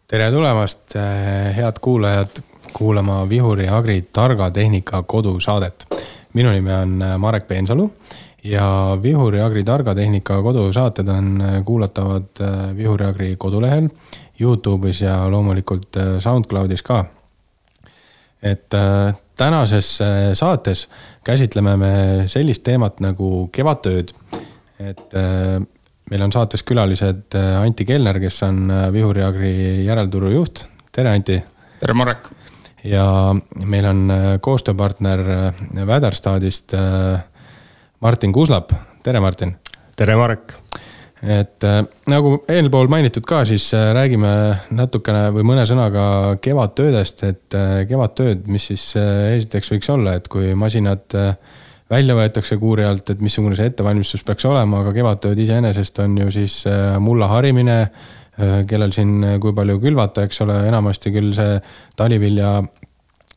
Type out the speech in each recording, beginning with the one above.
Tere tulemast, head kuulajad, kuulama Vihuri Agri targa tehnika kodusaadet. Minu nimi on Marek Peensalu ja Vihuri Agri targa tehnika kodusaated on kuulatavad Vihuri Agri kodulehel, YouTube'is ja loomulikult SoundCloudis ka. Et tänases saates käsitleme me sellist teemat nagu kevadtööd. Et meil on saates külalised Anti Kellner, kes on Vihuri Agri järelturu juht. Tere Anti! Tere Marek! Ja meil on koostööpartner Väderstadist Martin Kuslap. Tere Martin! Tere Marek! Et nagu eelpool mainitud ka, siis räägime natukene või mõne sõnaga kevadtöödest, et kevadtööd, mis siis esiteks võiks olla, et kui masinad välja võetakse kuuri alt, et missugune see ettevalmistus peaks olema, aga kevadtööd iseenesest on ju siis mulla harimine, kellel siin kui palju külvata, eks ole, enamasti küll see talivilja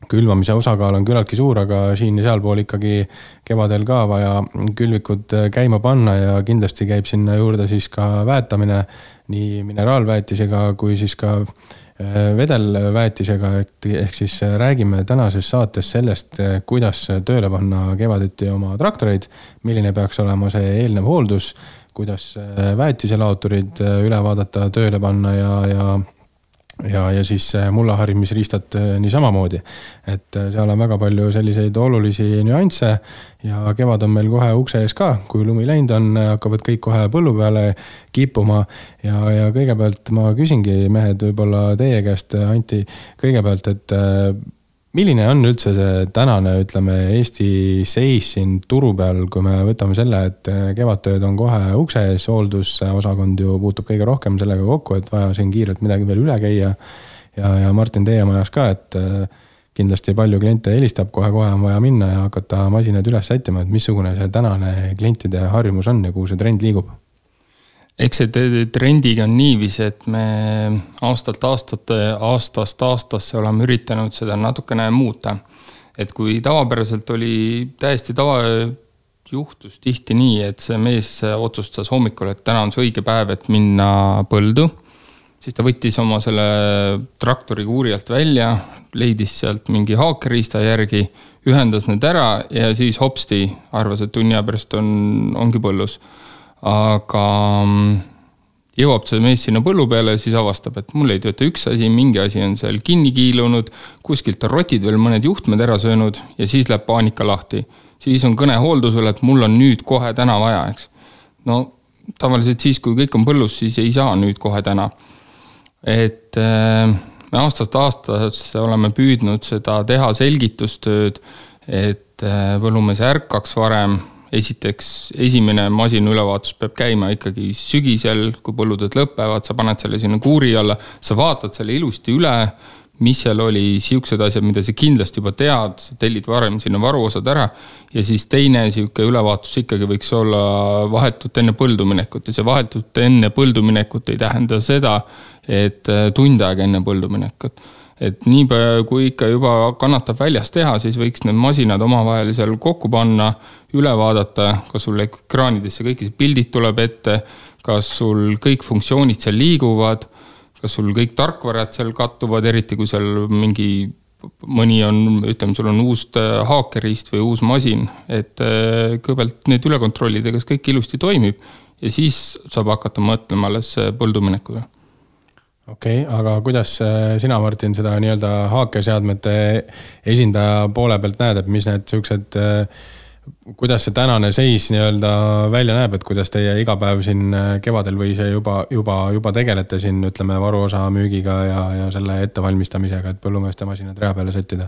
külvamise osakaal on küllaltki suur, aga siin ja sealpool ikkagi kevadel ka vaja külvikud käima panna ja kindlasti käib sinna juurde siis ka väetamine nii mineraalväetisega kui siis ka vedelväetisega, ehk siis räägime tänases saates sellest, kuidas tööle panna kevadeti oma traktoreid, milline peaks olema see eelnev hooldus, kuidas väetiselaoturid üle vaadata, tööle panna ja siis mullaharimisriistad nii samamoodi. Et seal on väga palju selliseid olulisi nüansse ja kevad on meil kohe ukse ees ka, kui lumi läinud on, hakkavad kõik kohe põllu peale kippuma ja kõigepealt ma küsingi mehed võib-olla teie käest, Anti, kõigepealt, et milline on üldse see tänane, ütleme, Eesti seis siin turu peal, kui me võtame selle, et kevadtööd on kohe ukse ees, hooldusosakond ju puutub kõige rohkem sellega kokku, et vaja siin kiirelt midagi veel üle käia ja Martin teie majas ka, et kindlasti palju kliente helistab, kohe on vaja minna ja hakata masinad üles sättima, et missugune see tänane klientide harjumus on ja kuhu see trend liigub? Eks see trendiga on niiviisi, et me aastast aastasse oleme üritanud seda natukene muuta. Et kui tavapäraselt oli täiesti juhtus tihti nii, et see mees otsustas hommikul, et täna on see õige päev, et minna põldu, siis ta võttis oma selle traktori kuuri alt välja, leidis sealt mingi haakeriista järgi, ühendas need ära ja siis hopsti arvas, et tunni pärast ongi põllus. Aga jõuab see mees sinna põllu peale ja siis avastab, et mul ei tööta üks asi, mingi asi on seal kinni kiilunud, kuskilt on rotid veel mõned juhtmed ära söönud ja siis läheb paanika lahti. Siis on kõne hooldusele, et mul on nüüd kohe täna vaja, eks. No tavaliselt siis, kui kõik on põllus, siis ei saa nüüd kohe täna. Et me aastast aastasse oleme püüdnud seda teha selgitustööd, et põllumees ärkaks varem. Esiteks, esimene masin ülevaatus peab käima ikkagi sügisel, kui põlluded lõpevad, sa paned selle sinna kuuri alla, sa vaatad selle ilusti üle, mis seal oli, siuksed asjad, mida sa kindlasti juba tead, sa tellid varem sinna varuosad ära ja siis teine siuke ülevaatus ikkagi võiks olla vahetult enne põlduminekut ja see vahetult enne põlduminekut ei tähenda seda, et tund aega enne põlduminekut. Et nii kui ikka juba kannatab väljas teha, siis võiks need masinad omavahel seal kokku panna, üle vaadata, kas sul ekraanidesse kõik pildid tuleb ette, kas sul kõik funktsioonid seal liiguvad, kas sul kõik tarkvarad seal kattuvad, eriti kui seal mõni on, ütleme, sul on uus haakeriist või uus masin, et kõigepealt need üle kontrollida, kas kõik ilusti toimib ja siis saab hakata mõtlema alles põlduminekule. Okei, aga kuidas sina, Martin, seda nii-öelda haakeseadmete esindaja poole pealt näed, et mis need sellised, kuidas see tänane seis nii-öelda välja näeb, et kuidas teie igapäev siin kevadel või see juba tegelete siin, ütleme, varuosa müügiga ja selle ettevalmistamisega, et põllumeeste masinad rea peale sättida?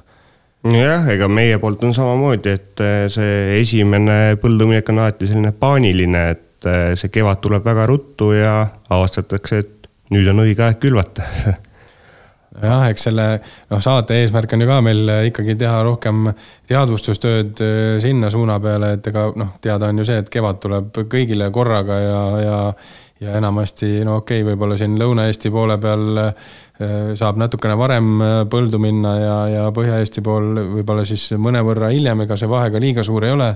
Jah, ega meie poolt on samamoodi, et see esimene põlduminek on alati selline paaniline, et see kevad tuleb väga ruttu ja avastatakse, et nüüd on õige aeg külvata. Jah, eks selle saate eesmärk on ju ka meil ikkagi teha rohkem teadvustustööd sinna suuna peale, et ega teada on ju see, et kevad tuleb kõigile korraga ja enamasti, no okei, võib-olla siin Lõuna-Eesti poole peal saab natukene varem põldu minna ja Põhja-Eesti pool võib-olla siis mõnevõrra hiljem, ega see vahega liiga suur ei ole,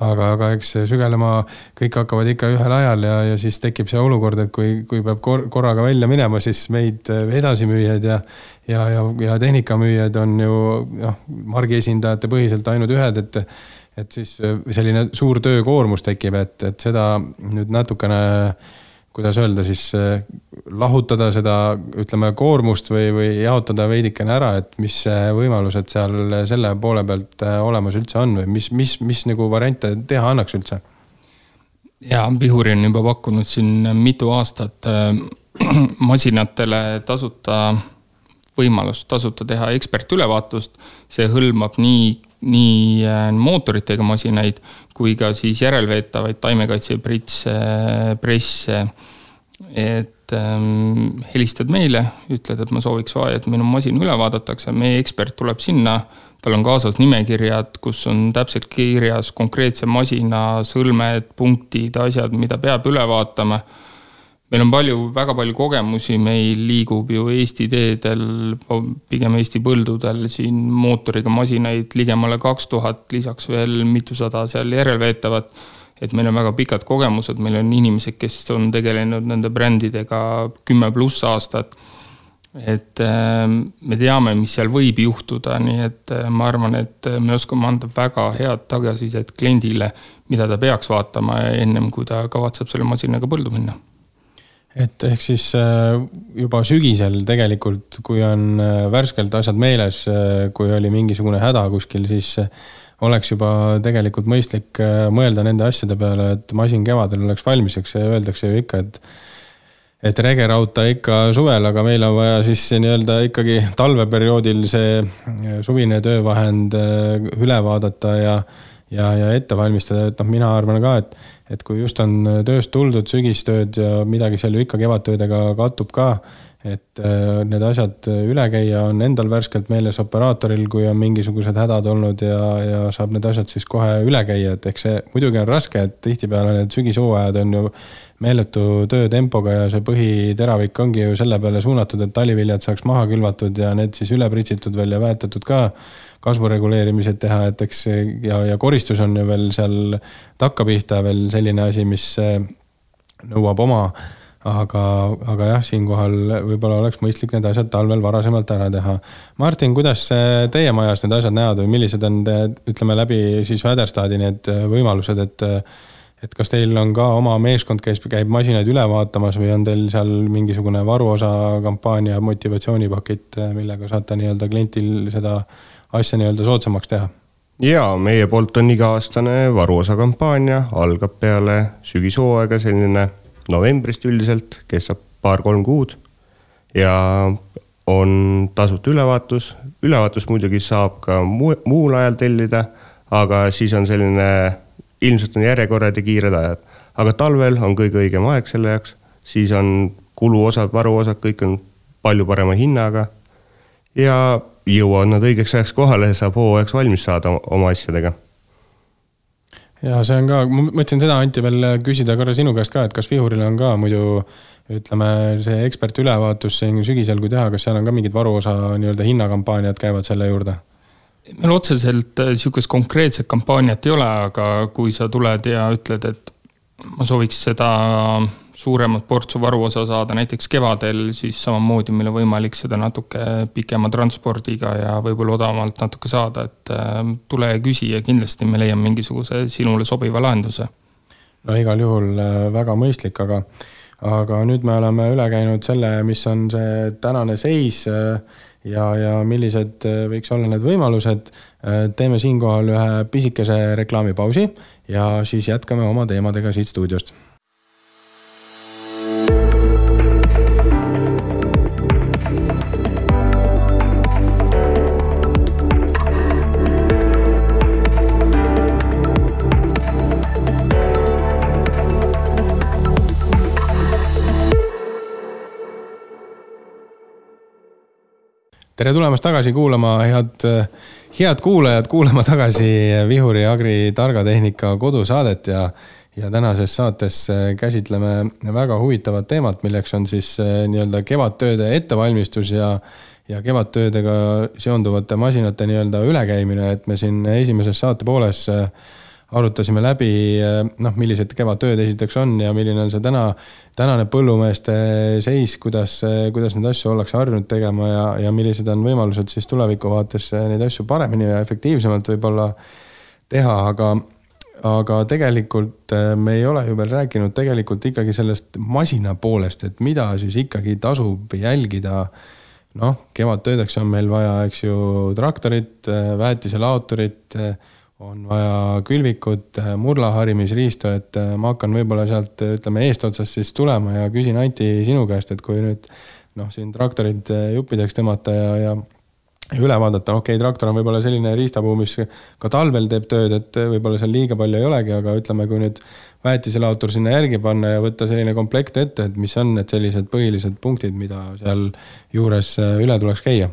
aga eks sügelema kõik hakkavad ikka ühel ajal ja siis tekib see olukord, et kui peab korraga välja minema, siis meid edasimüüjad ja tehnikamüüjad on ju margi esindajate põhiselt ainult ühed, et siis selline suur töökoormus tekib, et seda nüüd natukene, kuidas öelda siis, lahutada seda, ütleme, koormust või jaotada veidikene ära, et mis võimalused seal selle poole pealt olemas üldse on või mis nagu variante teha annaks üldse? Ja Vihuri on juba pakkunud siin mitu aastat masinatele tasuta võimalust tasuta teha ekspertülevaatust. See hõlmab nii mootoritega masinaid kui ka siis järelveetavaid taimekaitsepresse, et helistad meile, ütled, et ma sooviks vaja, et minu masin üle vaadatakse, meie ekspert tuleb sinna, tal on kaasas nimekirjad, kus on täpselt kirjas konkreetse masina sõlmed, punktid, asjad, mida peab üle vaatama. Meil on väga palju kogemusi, meil liigub ju Eesti teedel, pigem Eesti põldudel siin mootoriga masinaid ligemale 2000, lisaks veel mitusada seal järelveetavat, et meil on väga pikad kogemused, meil on inimesed, kes on tegelenud nende brändidega 10+ aastat, et me teame, mis seal võib juhtuda, nii et ma arvan, et me oskame anda väga head tagasisidet kliendile, mida ta peaks vaatama ennem, kui ta kavatseb selle masinaga põldu minna. Et ehk siis juba sügisel tegelikult, kui on värskelt asjad meeles, kui oli mingisugune häda kuskil, siis oleks juba tegelikult mõistlik mõelda nende asjade peale, et masin kevadel oleks valmiseks ja öeldakse ju ikka, et regerauta ikka suvel, aga meil on vaja siis nii-öelda ikkagi talveperioodil see suvine töövahend üle vaadata ja ette valmistada, et mina arvan ka, et kui just on tööst tuldud, sügistööd ja midagi seal ju ikka kevadtöödega kattub ka, et need asjad üle käia on endal värskelt meeles operaatoril, kui on mingisugused hädad olnud ja saab need asjad siis kohe üle käia, et eks see muidugi on raske, et tihtipeale need sügishooajad on ju meeletu töötempoga ja see põhiteravik ongi ju selle peale suunatud, et taliviljad saaks maha külvatud ja need siis üle pritsitud veel ja väetatud ka kasvureguleerimised teha, et eks ja koristus on ju veel seal takkapihta veel selline asi, mis nõuab oma, aga jah, siinkohal võib-olla oleks mõistlik need asjad talvel varasemalt ära teha. Martin, kuidas teie majas need asjad näevad või millised on, ütleme läbi siis Väderstadi need võimalused, et kas teil on ka oma meeskond, kes käib masinaid üle vaatamas või on teil seal mingisugune varuosa kampaania motivatsioonipakett, millega saate nii-öelda klientil seda asja nii-öelda soodsamaks teha? Jaa, meie poolt on iga-aastane varuosa kampaania, algab peale sügishooaega selline novembrist üldiselt, kestab 2-3 kuud ja on tasuta ülevaatus. Ülevaatus muidugi saab ka muul ajal tellida, aga siis on selline, ilmselt on järjekorrad ja kiired ajad. Aga talvel on kõige õigem aeg selle jaoks, siis on kuluosad, varuosad, kõik on palju parema hinnaga ja jõuavad nad õigeks ajaks kohale ja saab hooajaks valmis saada oma asjadega. Ja see on ka, ma mõtlesin seda, Anti, veel küsida korra sinu käest ka, et kas Vihuril on ka muidu, ütleme, see ekspertülevaatus sügisel, kui teha, kas seal on ka mingid varuosa nii-öelda hinnakampaaniad käivad selle juurde? Meil otseselt niisugust konkreetset kampaaniat ei ole, aga kui sa tuled ja ütled, et ma sooviks seda suuremat portsu varuosa saada näiteks kevadel, siis samamoodi meil on võimalik seda natuke pikema transpordiga ja võib-olla odavamalt natuke saada, et tule ja küsi ja kindlasti me leiame mingisuguse sinule sobiva lahenduse. No igal juhul väga mõistlik, aga nüüd me oleme üle käinud selle, mis on see tänane seis ja millised võiks olla need võimalused. Teeme siinkohal ühe pisikese reklaamipausi ja siis jätkame oma teemadega siit stuudiost. Tere tulemast tagasi kuulama, head kuulajad, kuulama tagasi Vihuri Agri targa tehnika kodusaadet ja ja tänases saates käsitleme väga huvitavat teemat, milleks on siis nii-öelda kevadtööde ettevalmistus ja kevadtöödega seonduvate masinate nii-öelda ülekäimine, et me siin esimeses saate pooles arutasime läbi, millised kevadtööd esiteks on ja milline on see tänane põllumeeste seis, kuidas neid asju ollakse harjunud tegema ja millised on võimalused siis tuleviku vaates neid asju paremini ja efektiivsemalt võib-olla teha, aga tegelikult me ei ole ju veel rääkinud tegelikult ikkagi sellest masina poolest, et mida siis ikkagi tasub jälgida. Kevadtöödeks on meil vaja, eks ju, traktorit, väetiselaoturit, on vaja külvikut, murlaharimisriistu, et ma hakkan võib-olla sealt, ütleme, eestotsast siis tulema ja küsin Anti sinu käest, et kui nüüd siin traktorid juppideks tõmmata ja üle vaadata, traktor on võib-olla selline riistapuu, mis ka talvel teeb tööd, et võib-olla seal liiga palju ei olegi, aga ütleme, kui nüüd väetiselautor sinna järgi panna ja võtta selline komplekt ette, et mis on need sellised põhilised punktid, mida seal juures üle tuleks käia.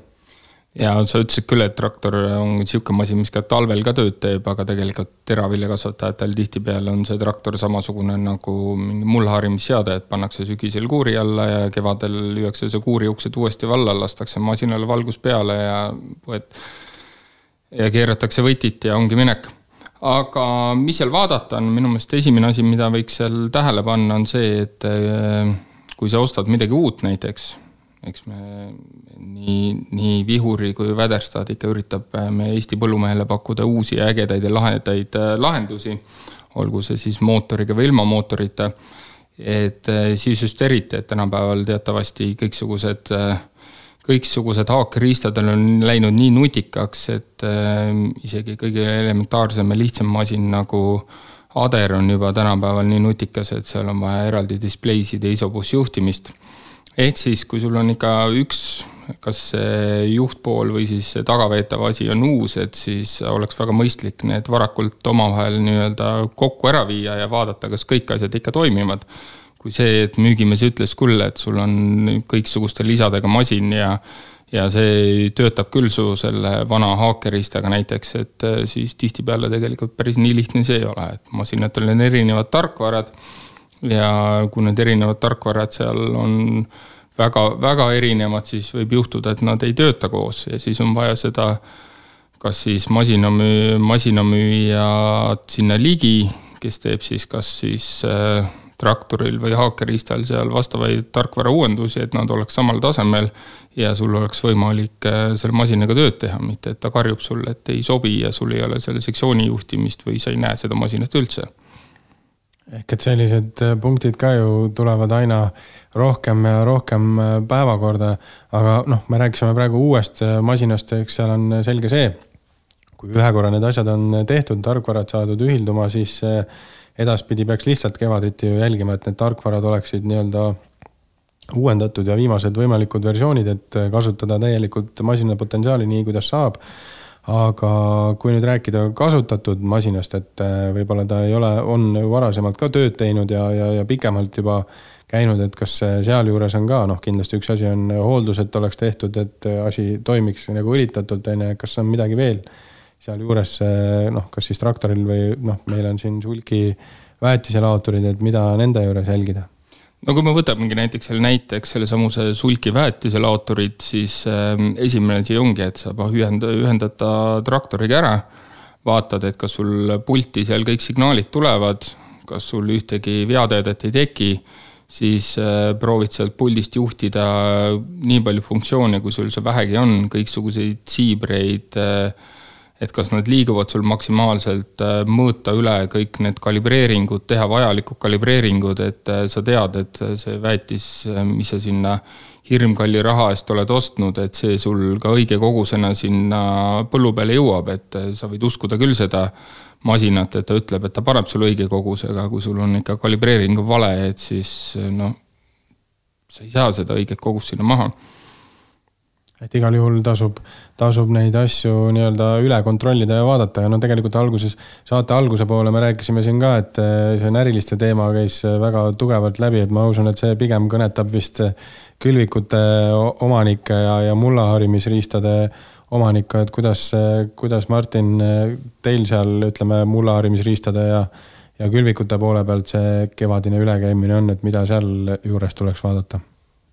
Ja sa ütlesid küll, et traktor on siuke masin, mis ka talvel ka tööd teeb, aga tegelikult teraviljakasvatajatel tihtipeale on see traktor samasugune nagu mingi mullaharimisseade, et pannakse sügisel kuuri alla ja kevadel lüüakse see kuuri uksed uuesti valla, lastakse masinale valgus peale ja keeratakse võtit ja ongi minek. Aga mis seal vaadata on, minu meelest esimene asi, mida võiks seal tähele panna, on see, et kui sa ostad midagi uut näiteks, eks me nii vihuri kui väderstad ikka üritab me Eesti põllumehele pakkuda uusi ägedaid ja lahendaid lahendusi, olgu see siis mootoriga või ilma mootorita, et siis just eriti, et tänapäeval teatavasti kõiksugused haakeriistadel on läinud nii nutikaks, et isegi kõige elementaarsem ja lihtsam masin nagu Ader on juba tänapäeval nii nutikas, et seal on vaja eraldi displeisid ja isobussjuhtimist. Ehk siis, kui sul on ikka kas see juhtpool või siis tagaveetav asi on uus, et siis oleks väga mõistlik need varakult omavahel nii-öelda kokku ära viia ja vaadata, kas kõik asjad ikka toimivad. Kui see, et müügimees ütles küll, et sul on kõiksuguste lisadega masin ja see töötab küll su selle vana haakeristaga näiteks, et siis tihtipeale tegelikult päris nii lihtne see ei ole, et masinatel on erinevad tarkvarad ja kui need erinevad tarkvarad seal on väga, väga erinevad, siis võib juhtuda, et nad ei tööta koos ja siis on vaja seda kas siis masinamüüjad sinna ligi, kes teeb siis kas siis traktoril või haakeriistal seal vastavaid tarkvara uuendusi, et nad oleks samal tasemel ja sul oleks võimalik selle masinaga tööd teha, mitte et ta karjub sulle, et ei sobi ja sul ei ole selle sektsiooni juhtimist või sa ei näe seda masinat üldse. Ehk et sellised punktid ka ju tulevad aina rohkem ja rohkem päevakorda, aga me rääkisime praegu uuest masinast, eks seal on selge see, kui ühe korra need asjad on tehtud, tarkvarad saadud ühilduma, siis edaspidi peaks lihtsalt kevaditi ju jälgima, et need tarkvarad oleksid nii-öelda uuendatud ja viimased võimalikud versioonid, et kasutada täielikult masina potentsiaali nii, kuidas saab. Aga kui nüüd rääkida kasutatud masinast, et võib-olla ta on varasemalt ka tööd teinud ja pikemalt juba käinud, et kas seal juures on ka, kindlasti üks asi on hooldus, et oleks tehtud, et asi toimiks nagu õlitatult, kas on midagi veel seal juures, kas siis traktoril või meil on siin sulki väetiselaoturid, et mida nende juures jälgida? No kui me võtamegi näiteks selle samuse sulki väetiselaoturid, siis esimene asi ongi, et sa ühendada traktoriga ära, vaatad, et kas sul pulti seal kõik signaalid tulevad, kas sul ühtegi veateedet ei teki, siis proovid sealt puldist juhtida nii palju funktsioone, kui sul see vähegi on, kõiksuguseid siibreid, et kas nad liiguvad sul maksimaalselt, mõõta üle kõik need kalibreeringud, teha vajalikud kalibreeringud, et sa tead, et see väetis, mis sa sinna hirmkalli raha eest oled ostnud, et see sul ka õige kogusena sinna põllu peale jõuab, et sa võid uskuda küll seda masinat, et ta ütleb, et ta paneb sul õige kogusega, kui sul on ikka kalibreering vale, et siis sa ei saa seda õiget kogust sinna maha. Et igal juhul tasub neid asju nii-öelda üle kontrollida ja vaadata ja tegelikult saate alguse poole me rääkisime siin ka, et see näriliste teema käis väga tugevalt läbi, et ma usun, et see pigem kõnetab vist külvikute omanikke ja mullaharimisriistade omanikka, et kuidas Martin teil seal, ütleme, mullaharimisriistade ja külvikute poole pealt see kevadine ülekäimine on, et mida seal juures tuleks vaadata?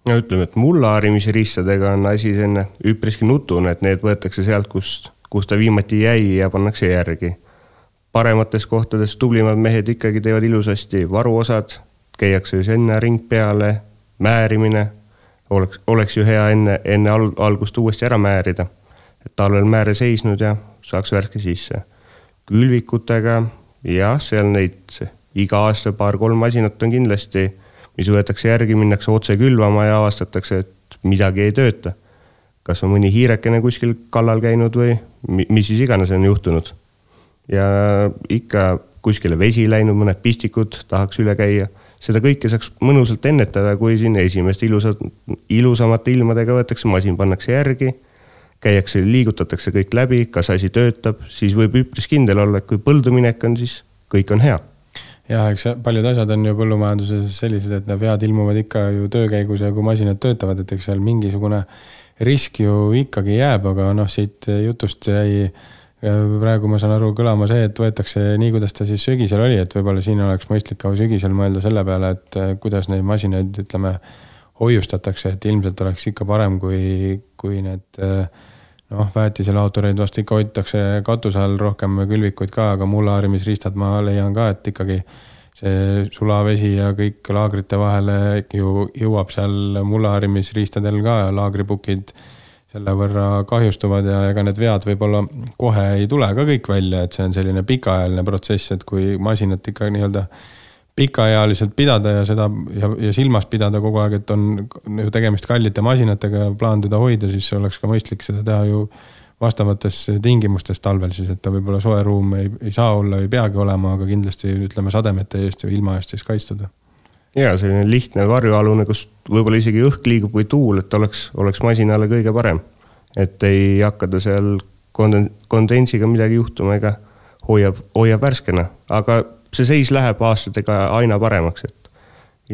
No ütleme, et mulla harimise riistadega on asi selline üpriski nutune, et need võetakse sealt, kus ta viimati jäi ja pannakse järgi. Paremates kohtades tublimad mehed ikkagi teevad ilusasti varuosad, käiakse siis enne ring peale, määrimine, oleks ju hea enne algust uuesti ära määrida, et talvel määre seisnud ja saaks värske sisse. Külvikutega, jah, seal neid iga aasta 2-3 masinat on kindlasti, mis võetakse järgi, minnakse otse külvama ja avastatakse, et midagi ei tööta. Kas on mõni hiirekene kuskil kallal käinud või mis siis iganes on juhtunud. Ja ikka kuskile vesi läinud, mõned pistikud tahaks üle käia. Seda kõike saaks mõnusalt ennetada, kui siin esimest ilusamate ilmadega võetakse masin, pannakse järgi, käiakse, liigutatakse kõik läbi, kas asi töötab, siis võib üpris kindel olla, et kui põlduminek on, siis kõik on hea. Ja eks paljud asjad on ju põllumajanduses sellised, et need vead ilmuvad ikka ju töökäigus ja kui masinad töötavad, et eks seal mingisugune risk ju ikkagi jääb, aga siit jutust jäi praegu ma saan aru kõlama see, et võetakse nii, kuidas ta siis sügisel oli, et võib-olla siin oleks mõistlik ka sügisel mõelda selle peale, et kuidas neid masinaid, ütleme, hoiustatakse, et ilmselt oleks ikka parem, kui need väetiselaotureid vast ikka hoitakse katuse all rohkem külvikuid ka, aga mullaharimisriistad ma leian ka, et ikkagi see sulavesi ja kõik laagrite vahele ju jõuab seal mullaharimisriistadel ka ja laagripukid selle võrra kahjustuvad ja ega need vead võib-olla kohe ei tule ka kõik välja, et see on selline pikaajaline protsess, et kui masinat ikka nii-öelda pikaajaliselt pidada ja seda ja silmas pidada kogu aeg, et on ju tegemist kallite masinatega ja plaan teda hoida, siis oleks ka mõistlik seda teha ju vastavates tingimustes talvel, siis et ta võib-olla soe ruum ei saa olla, ei peagi olema, aga kindlasti ütleme sademete eest ja ilma eest siis kaitstuda. Ja selline lihtne varjualune, kus võib-olla isegi õhk liigub või tuul, et oleks masinale kõige parem. Et ei hakkada seal kondensiga midagi juhtuma ega hoiab värskena, aga see seis läheb aastatega aina paremaks, et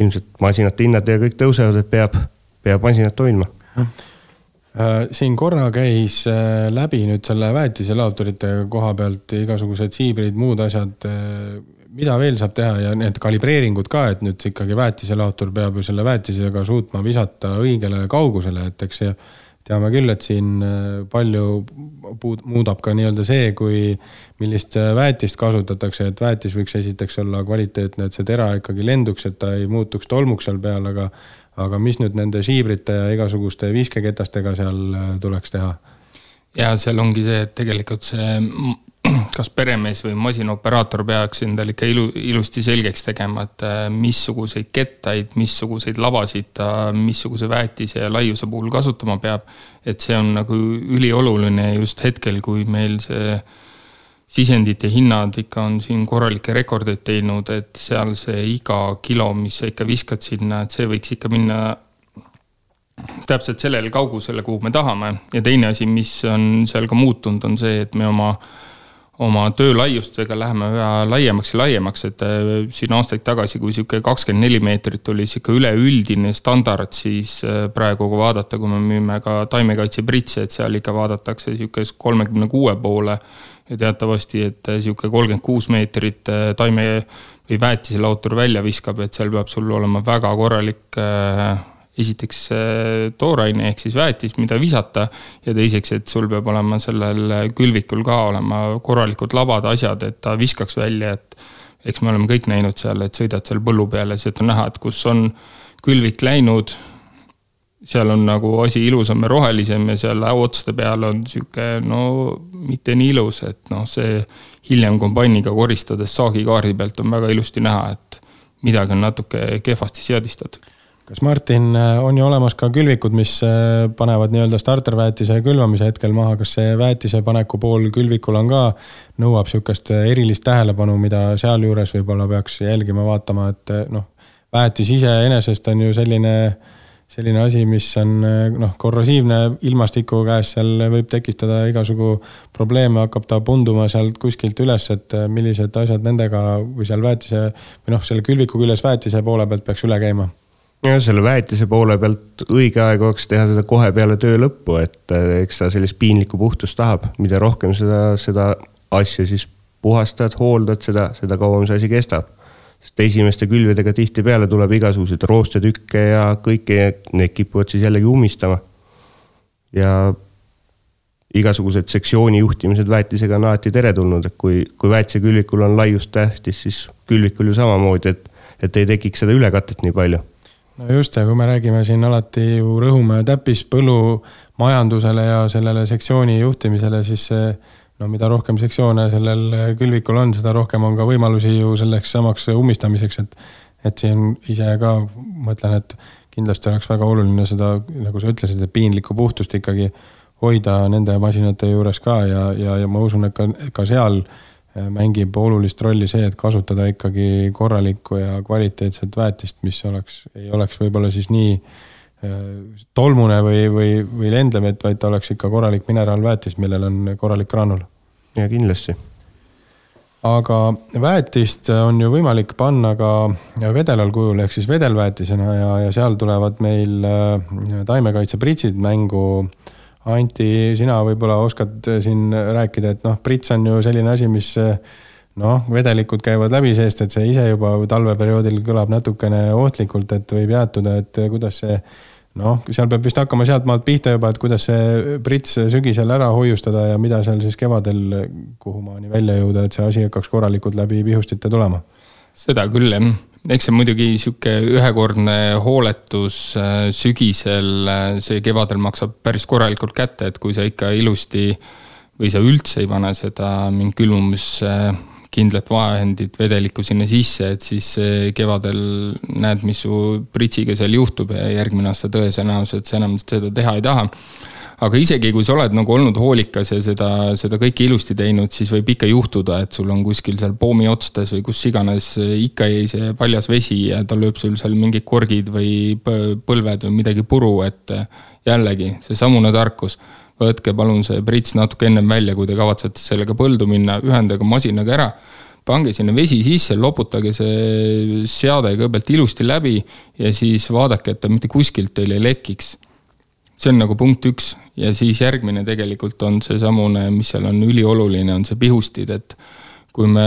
ilmselt masinate hinnad ja kõik tõusevad, et peab masinat hoidma. Siin korra käis läbi nüüd selle väetiselaoturite koha pealt igasugused siibrid, muud asjad, mida veel saab teha ja need kalibreeringud ka, et nüüd ikkagi väetiselaotur peab ju selle väetisega suutma visata õigele kaugusele, et eks teame küll, et siin palju muudab ka nii-öelda see, kui millist väetist kasutatakse, et väetis võiks esiteks olla kvaliteetne, et see tera ikkagi lenduks, et ta ei muutuks tolmuks seal peal, aga mis nüüd nende siibrite ja igasuguste viskeketastega seal tuleks teha? Ja seal ongi see, et tegelikult see kas peremees või masinoperaator peaks endal ikka ilusti selgeks tegema, et missuguseid kettaid, missuguseid labasid ta missuguse väetise ja laiuse puhul kasutama peab. Et see on nagu ülioluline just hetkel, kui meil see sisendite hinnad ikka on siin korralikke rekordeid teinud, et seal see iga kilo, mis sa ikka viskad sinna, et see võiks ikka minna täpselt sellele kaugusele, kuhu me tahame. Ja teine asi, mis on seal ka muutunud, on see, et me oma töölaiustega läheme laiemaks ja laiemaks, et siin aastaid tagasi, kui siuke 24 meetrit oli siuke üleüldine standard, siis praegu kui vaadata, kui me müüme ka taimekaitse britse, et seal ikka vaadatakse siuke 36 poole ja teatavasti, et siuke 36 meetrit taime või väetiselautor välja viskab, et seal peab sul olema väga korralik esiteks tooraine ehk siis väetis, mida visata ja teiseks, et sul peab olema sellel külvikul ka olema korralikud labad asjad, et ta viskaks välja, et eks me oleme kõik näinud seal, et sõidad seal põllu peale, siis on näha, et kus on külvik läinud, seal on nagu asi ilusam ja rohelisem ja seal otste peal on siuke, mitte nii ilus, et see hiljem kombainiga koristades saagikaardi pealt on väga ilusti näha, et midagi on natuke kehvasti seadistatud. Kas Martin, on ju olemas ka külvikud, mis panevad nii-öelda starterväetise külvamise hetkel maha, kas see väetise paneku pool külvikul on ka, nõuab siukest erilist tähelepanu, mida seal juures võib-olla peaks jälgima vaatama, et väetis ise enesest on ju selline asi, mis on korrosiivne ilmastiku käes, seal võib tekistada igasugu probleeme, hakkab ta punduma sealt kuskilt üles, et millised asjad nendega või seal väetise või selle külviku küljes väetise poole pealt peaks üle käima? Ja selle väetise poole pealt õige aeg oleks teha seda kohe peale töö lõppu, et eks ta sellist piinlikku puhtust tahab, mida rohkem seda asja siis puhastad, hooldad seda kauem see asi kestab. Sest esimeste külvedega tihti peale tuleb igasuguseid roostetükke ja kõike need kipuvad siis jällegi umistama. Ja igasugused sektsiooni juhtimised väetisega on alati teretulnud, et kui väetise külvikul on laiust tähtis, siis külvikul ju samamoodi, et ei tekiks seda ülekatet nii palju. No just, ja kui me räägime siin alati ju rõhume täppis põllumajandusele ja sellele sektsiooni juhtimisele, siis mida rohkem sektsioone sellel külvikul on, seda rohkem on ka võimalusi ju selleks samaks umistamiseks, et siin ise ka mõtlen, et kindlasti oleks väga oluline seda, nagu sa ütlesid, piinlikku puhtust ikkagi hoida nende masinate juures ka ja ma usun, et ka seal mängib olulist rolli see, et kasutada ikkagi korralikku ja kvaliteetset väetist, mis ei oleks võib-olla siis nii tolmune või lendlev, vaid ta oleks ikka korralik mineraalväetist, millel on korralik granul. Ja kindlasti. Aga väetist on ju võimalik panna ka vedelal kujul, ehk siis vedelväetisena ja seal tulevad meil taimekaitsepritsid mängu. Anti, sina võib-olla oskad siin rääkida, et prits on ju selline asi, mis vedelikud käivad läbi seest, et see ise juba talveperioodil kõlab natukene ohtlikult, et võib jäätuda, et kuidas see, seal peab vist hakkama sealt maalt pihta juba, et kuidas see prits sügisel ära hoiustada ja mida seal siis kevadel kuhumaani välja jõuda, et see asi hakkaks korralikult läbi pihustite tulema. Seda küll, jah. Eks see muidugi siuke ühekordne hooletus sügisel, see kevadel maksab päris korralikult kätte, et kui sa ikka ilusti või sa üldse ei pane seda mingi külmumiskindlat vahendit vedelikku sinna sisse, et siis kevadel näed, mis su pritsiga seal juhtub ja järgmine aasta tõenäoliselt sa enam seda teha ei taha. Aga isegi kui sa oled nagu olnud hoolikas ja seda kõike ilusti teinud, siis võib ikka juhtuda, et sul on kuskil seal poomi otstes või kus iganes ikka jäi see paljas vesi ja ta lööb sul seal mingid korgid või põlved või midagi puru, et jällegi see samune tarkus. Võtke palun see prits natuke ennem välja, kui te kavatsete sellega põldu minna, ühendage masinaga ära, pange sinna vesi sisse, loputage see seade kõigepealt ilusti läbi ja siis vaadake, et ta mitte kuskilt teil ei lekiks. See on nagu punkt 1 ja siis järgmine tegelikult on see samune, mis seal on ülioluline, on see pihustid, et kui me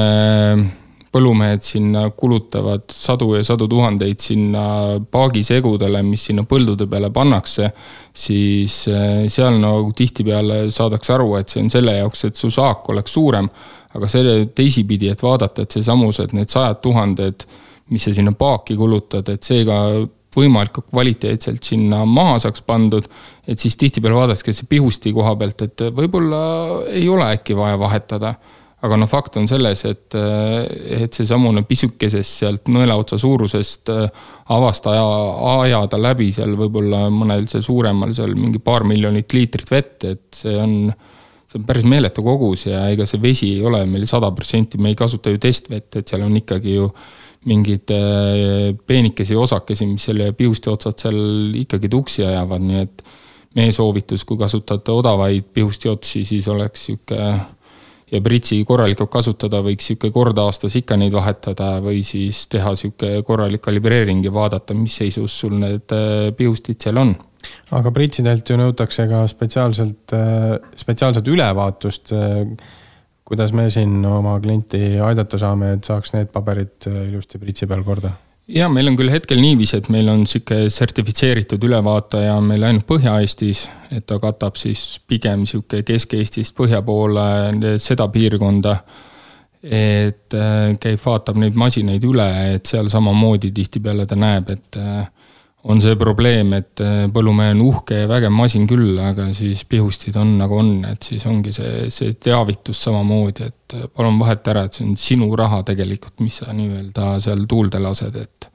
põllumehed sinna kulutavad sadu ja sadu tuhandeid sinna paagisegudele, mis sinna põldude peale pannakse, siis seal nagu tihtipeale saadaks aru, et see on selle jaoks, et su saak oleks suurem, aga selle teisipidi, et vaadata, et see samus, et need 100 000, mis sa sinna paaki kulutad, et see ka võimalikult kvaliteetselt sinna maha saaks pandud, et siis tihtipeale vaadatakse see pihusti koha pealt, et võib-olla ei ole äkki vaja vahetada. Aga fakt on selles, et see samune pisukesest sealt nõelaotsa suurusest avast ajada läbi seal võib-olla mõnel see suuremal seal mingi paar miljonit liitrit vett, et see on päris meeletu kogus ja ega see vesi ei ole meil 100%, me ei kasuta ju testvett, et seal on ikkagi ju mingid peenikesi osakesi, mis selle pihusti otsad seal ikkagi tuksi ajavad, nii et meie soovitus, kui kasutate odavaid pihusti otsi, siis oleks ja pritsi korralikult kasutada, võiks kord aastas ikka neid vahetada või siis teha korralik kalibreering ja vaadata, mis seisus sul need pihustid seal on. Aga pritsidelt ju nõutakse ka spetsiaalselt ülevaatust. Kuidas me siin oma klienti aidata saame, et saaks need paberid ilusti pritsi peal korda? Ja meil on küll hetkel niiviisi, et meil on sertifitseeritud ülevaataja meil ainult Põhja-Eestis, et ta katab siis pigem Kesk-Eestist põhja poole seda piirkonda, et käib, vaatab neid masinaid üle, et seal samamoodi tihtipeale ta näeb, et on see probleem, et põllumehe on uhke ja vägev masin küll, aga siis pihustid on nagu on, et siis ongi see teavitus samamoodi, et palun vahet ära, et see on sinu raha tegelikult, mis sa nii-öelda seal tuulde lased, et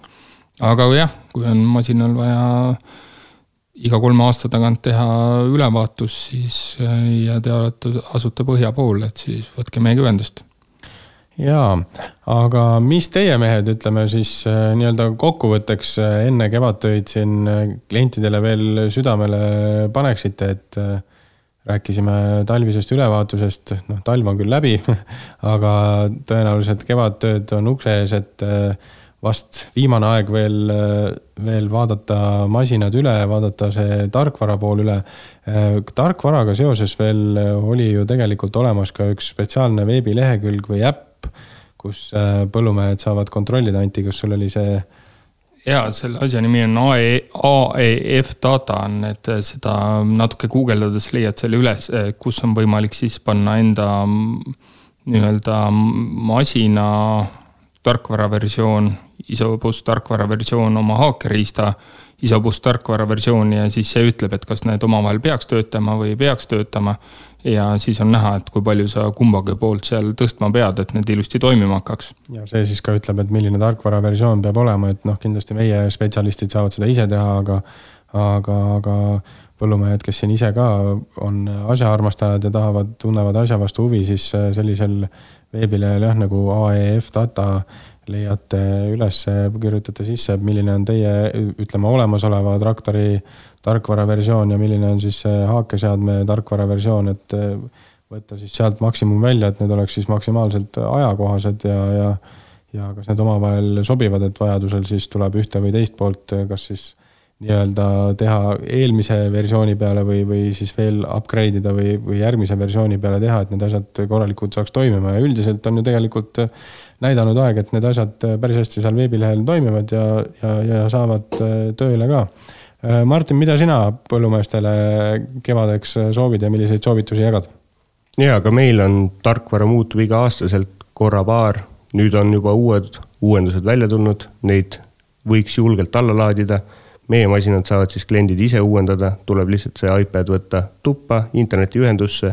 aga jah, kui on masinal vaja iga 3 aasta tagant teha ülevaatus, siis ja te asute põhja pool, et siis võtke meiega ühendust. Jaa, aga mis teie mehed, ütleme siis nii-öelda kokkuvõtteks enne kevadtöid siin klientidele veel südamele paneksite, et rääkisime talvisest ülevaatusest, talv on küll läbi, aga tõenäoliselt kevadtööd on ukse ees, et vast viimane aeg veel vaadata masinad üle, vaadata see tarkvara pool üle. Tarkvaraga seoses veel oli ju tegelikult olemas ka üks spetsiaalne veebilehekülg või äpp, kus põllumehed saavad kontrollida, Anti, kus sul oli see... Ja, selle asja nimi on AEF data, et seda natuke guugeldades leiad selle üles, kus on võimalik siis panna enda nii-öelda masina tarkvaraversioon, ISO+ tarkvaraversioon oma haakeriista, ISO+ tarkvaraversioon ja siis see ütleb, et kas need omavahel peaks töötama või ei peaks töötama ja siis on näha, et kui palju sa kumbagi poolt seal tõstma pead, et need ilusti toimima hakkaks. Ja see siis ka ütleb, et milline tarkvaraversioon peab olema, et kindlasti meie spetsialistid saavad seda ise teha, aga põllumehed, kes siin ise ka on asjaarmastajad ja tunnevad asja vastu huvi, siis sellisel veebilehel nagu AEF data leiate üles, kirjutate sisse, milline on teie, olemasoleva traktori tarkvaraversioon ja milline on siis haakeseadme tarkvaraversioon, et võtta siis sealt maksimum välja, et need oleks siis maksimaalselt ajakohased ja kas need omavahel sobivad, et vajadusel siis tuleb ühte või teist poolt, kas siis nii-öelda teha eelmise versiooni peale või siis veel upgrade ida või järgmise versiooni peale teha, et need asjad korralikult saaks toimima ja üldiselt on ju tegelikult näidanud aeg, et need asjad päris hästi seal veebilehel toimivad ja saavad tööle ka. Martin, mida sina põllumeestele kevadeks soovid ja milliseid soovitusi jagad? Ja, aga meil on tarkvara muutub iga aastaselt korra-paar. Nüüd on juba uuendused välja tulnud, neid võiks julgelt alla laadida. Meie masinad saavad siis kliendid ise uuendada, tuleb lihtsalt see iPad võtta tuppa, internetiühendusse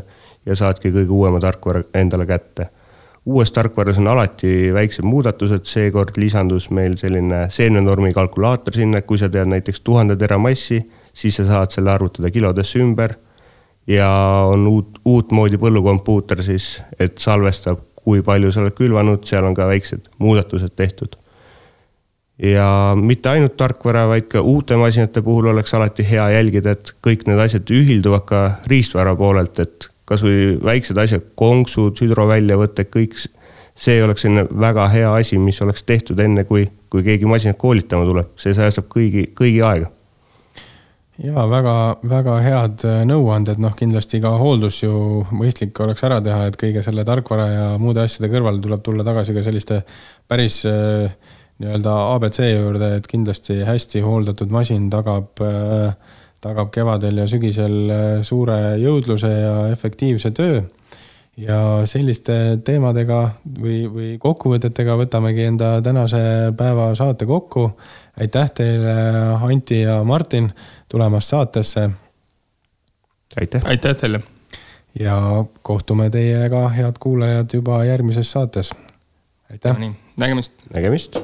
ja saadki kõige uuema tarkvara endale kätte. Uues tarkvaras on alati väiksed muudatused, seekord lisandus meil selline seemnenormi kalkulaator sinna, kui sa tead näiteks 1000 teramassi, siis sa saad selle arvutada kilodesse ümber ja on uut moodi põllukompuuter siis, et salvestab, kui palju sa oled külvanud, seal on ka väiksed muudatused tehtud. Ja mitte ainult tarkvara, vaid ka uute masinate puhul oleks alati hea jälgida, et kõik need asjad ühilduvad ka riistvara poolelt, et kas või väiksed asjad, konksud, hüdroväljavõtte, kõik see oleks selline väga hea asi, mis oleks tehtud enne, kui keegi masinat koolitama tuleb. See säästab kõigi aega. Ja väga head nõuanded, kindlasti ka hooldus ju mõistlik oleks ära teha, et kõige selle tarkvara ja muude asjade kõrval tuleb tulla tagasi ka selliste päris nii-öelda ABC juurde, et kindlasti hästi hooldatud masin tagab kevadel ja sügisel suure jõudluse ja efektiivse töö. Ja selliste teemadega või kokkuvõtetega võtamegi enda tänase päeva saate kokku. Aitäh teile, Anti ja Martin, tulemast saatesse. Aitäh teile. Ja kohtume teiega, head kuulajad, juba järgmises saates. Aitäh. Nägemist. Nägemist.